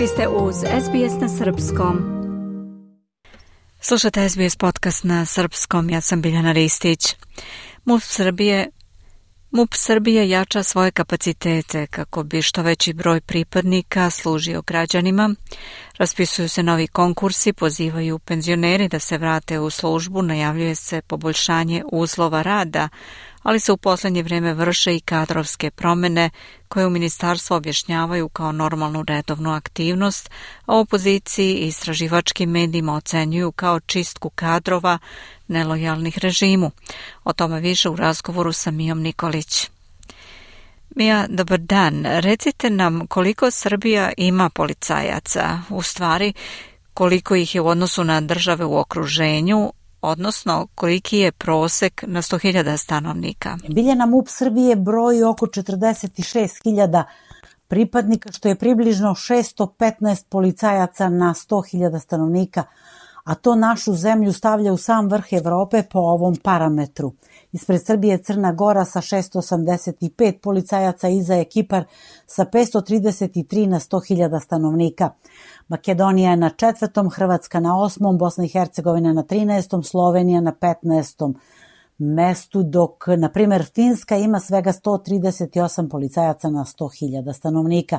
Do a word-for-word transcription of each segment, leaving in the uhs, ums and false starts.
Vi ste uz S B S na srpskom. Slušate S B S podcast na srpskom, ja sam Biljana Ristić. MUP Srbije MUP Srbije jača svoje kapacitete kako bi što veći broj pripadnika služio građanima. Raspisuju se novi konkursi, pozivaju penzioneri da se vrate u službu, najavljuje se poboljšanje uslova rada, ali se u posljednje vrijeme vrše i kadrovske promjene koje u ministarstvu objašnjavaju kao normalnu redovnu aktivnost, a u opoziciji i istraživačkim medijima ocenjuju kao čistku kadrova nelojalnih režimu. O tome više u razgovoru sa Mijom Nikolić. Mija, dobar dan. Recite nam koliko Srbija ima policajaca, u stvari koliko ih je u odnosu na države u okruženju, odnosno koliki je prosek na sto hiljada stanovnika? Biljana, MUP Srbije broji oko četrdeset šest hiljada pripadnika, što je približno šesto petnaest policajaca na sto hiljada stanovnika, a to našu zemlju stavlja u sam vrh Evrope po ovom parametru. Ispred Srbije je Crna Gora sa šesto osamdeset pet policajaca, iza je Kipar sa petsto trideset tri na sto hiljada stanovnika. Makedonija je na četvrtom, Hrvatska na osmom, Bosna i Hercegovina na trinaestom, Slovenija na petnaestom mestu, dok, na primjer, Finska ima svega sto trideset osam policajaca na sto hiljada stanovnika.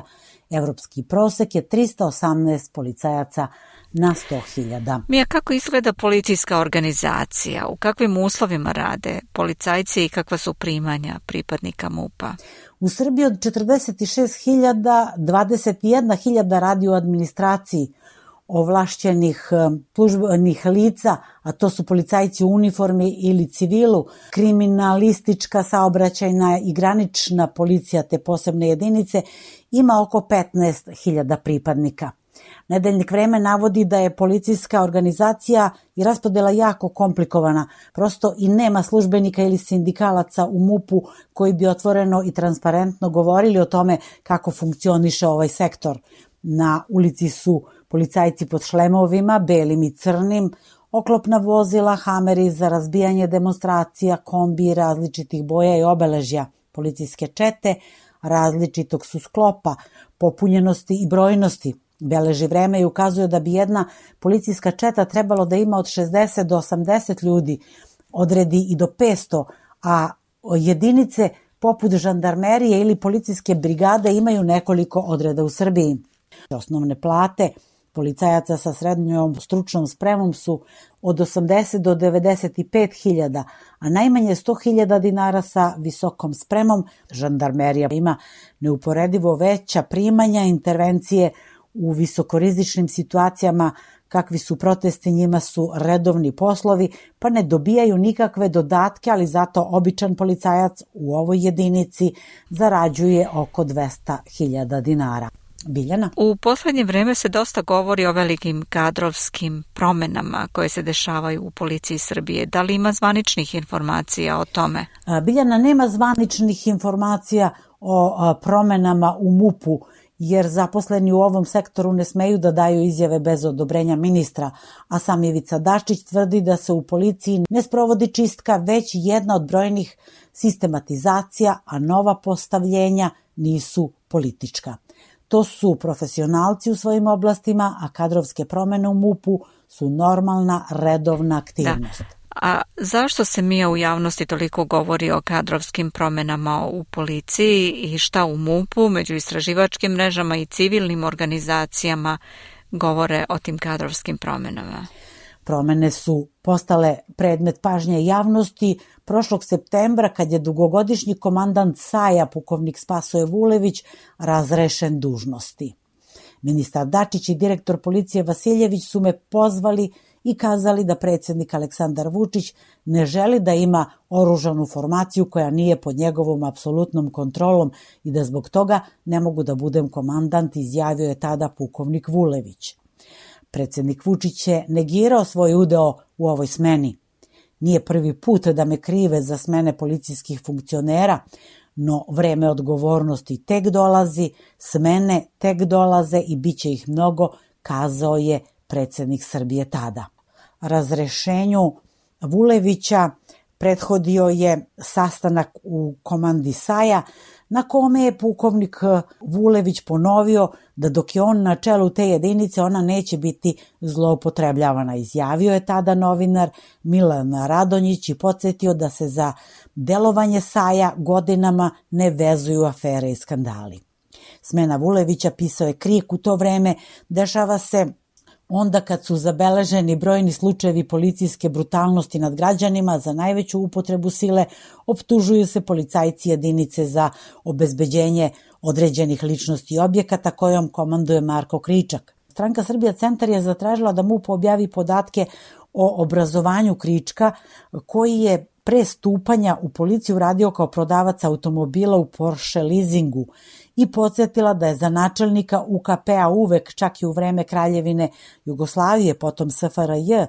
Evropski prosek je trista osamnaest policajaca na sto hiljada. Mija, kako izgleda policijska organizacija? U kakvim uslovima rade policajci i kakva su primanja pripadnika MUP-a? U Srbiji od četrdeset šest hiljada, dvadeset jedna hiljada radi u administraciji ovlašćenih službenih lica, a to su policajci u uniformi ili civilu, kriminalistička, saobraćajna i granična policija te posebne jedinice, ima oko petnaest hiljada pripadnika. Nedeljnik Vreme navodi da je policijska organizacija i raspodela jako komplikovana, prosto i nema službenika ili sindikalaca u MUP-u koji bi otvoreno i transparentno govorili o tome kako funkcioniše ovaj sektor. Na ulici su policajci pod šlemovima, belim i crnim, oklopna vozila, hameri za razbijanje demonstracija, kombi različitih boja i obeležja, policijske čete različitog su sklopa, popunjenosti i brojnosti. Beleži Vreme i ukazuje da bi jedna policijska četa trebalo da ima od šezdeset do osamdeset ljudi, odredi i do petsto, a jedinice poput žandarmerije ili policijske brigade imaju nekoliko odreda u Srbiji. Osnovne plate policajaca sa srednjom stručnom spremom su od osamdeset do devedeset pet hiljada, a najmanje sto hiljada dinara sa visokom spremom. Žandarmerija ima neuporedivo veća primanja, intervencije u visokorizičnim situacijama kakvi su protesti, njima su redovni poslovi, pa ne dobijaju nikakve dodatke, ali zato običan policajac u ovoj jedinici zarađuje oko dvesta hiljada dinara. Biljana? U posljednje vrijeme se dosta govori o velikim kadrovskim promjenama koje se dešavaju u policiji Srbije. Da li ima zvaničnih informacija o tome? Biljana, nema zvaničnih informacija o promjenama u MUP-u, jer zaposleni u ovom sektoru ne smeju da daju izjave bez odobrenja ministra, a sam Ivica Dačić tvrdi da se u policiji ne sprovodi čistka, već jedna od brojnih sistematizacija, a nova postavljenja nisu politička. To su profesionalci u svojim oblastima, a kadrovske promjene u MUP-u su normalna, redovna aktivnost. Da. A zašto se Mija u javnosti toliko govori o kadrovskim promjenama u policiji i šta u MUP-u, među istraživačkim mrežama i civilnim organizacijama govore o tim kadrovskim promjenama? Promjene su postale predmet pažnje javnosti prošlog septembra kad je dugogodišnji komandant S A J-a, pukovnik Spasoje Vulević, razrešen dužnosti. Ministar Dačić i direktor policije Vasiljević su me pozvali i kazali da predsjednik Aleksandar Vučić ne želi da ima oružanu formaciju koja nije pod njegovom apsolutnom kontrolom i da zbog toga ne mogu da budem komandant, izjavio je tada pukovnik Vulević. Predsjednik Vučić je negirao svoj udeo u ovoj smeni. Nije prvi put da me krive za smene policijskih funkcionera, no vreme odgovornosti tek dolazi, smene tek dolaze i bit će ih mnogo, kazao je predsjednik Srbije tada. Razrešenju Vulevića prethodio je sastanak u komandi S A J-a na kome je pukovnik Vulević ponovio da dok je on na čelu te jedinice ona neće biti zloupotrebljavana. Izjavio je tada novinar Milan Radonjić i podsjetio da se za delovanje Saja godinama ne vezuju afere i skandali. Smena Vulevića, pisao je Krik, u to vreme dešava se onda kad su zabeleženi brojni slučajevi policijske brutalnosti nad građanima. Za najveću upotrebu sile optužuju se policajci jedinice za obezbeđenje određenih ličnosti i objekata kojom komanduje Marko Kričak. Stranka Srbija Centar je zatražila da MUP objavi podatke o obrazovanju Krička, koji je pre stupanja u policiju radio kao prodavac automobila u Porsche leasingu, i podsjetila da je za načelnika U K P-a uvek, čak i u vreme Kraljevine Jugoslavije, potom S F R J,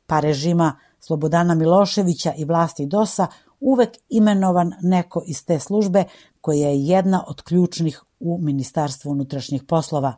pa režima Slobodana Miloševića i vlasti D O S-a, uvek imenovan neko iz te službe koja je jedna od ključnih u Ministarstvu unutrašnjih poslova.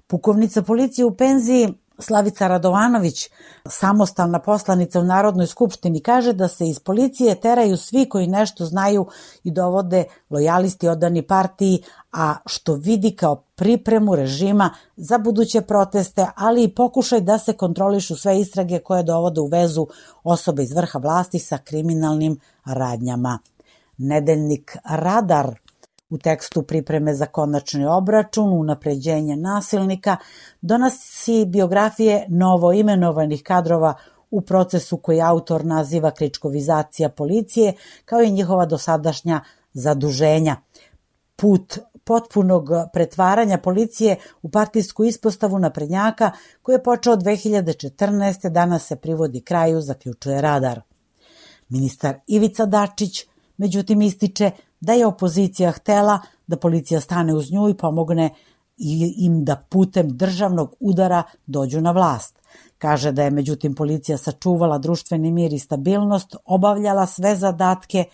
Pukovnica policije u penziji Slavica Radovanović, samostalna poslanica u Narodnoj skupštini, kaže da se iz policije teraju svi koji nešto znaju i dovode lojalisti odani partiji, a što vidi kao pripremu režima za buduće proteste, ali i pokušaj da se kontrolišu sve istrage koje dovode u vezu osobe iz vrha vlasti sa kriminalnim radnjama. Nedeljnik Radar u tekstu Pripreme za konačni obračun, unapređenje nasilnika, donosi biografije novoimenovanih kadrova u procesu koji autor naziva kričkovizacija policije, kao i njihova dosadašnja zaduženja. Put potpunog pretvaranja policije u partijsku ispostavu naprednjaka, koji je počeo dve hiljade četrnaeste. danas se privodi kraju, zaključuje Radar. Ministar Ivica Dačić, međutim, ističe da je opozicija htela da policija stane uz nju i pomogne im da putem državnog udara dođu na vlast. Kaže da je, međutim, policija sačuvala društveni mir i stabilnost, obavljala sve zadatke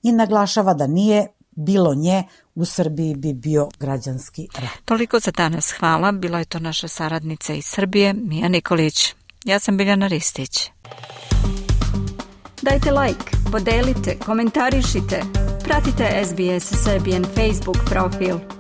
i naglašava da nije bilo nje, u Srbiji bi bio građanski rat. Toliko za danas, hvala. Bila je to naša saradnica iz Srbije, Mija Nikolić. Ja sam Biljana Ristić. Dajte like, podelite, komentarišite. Pratite S B S Serbian Facebook profil.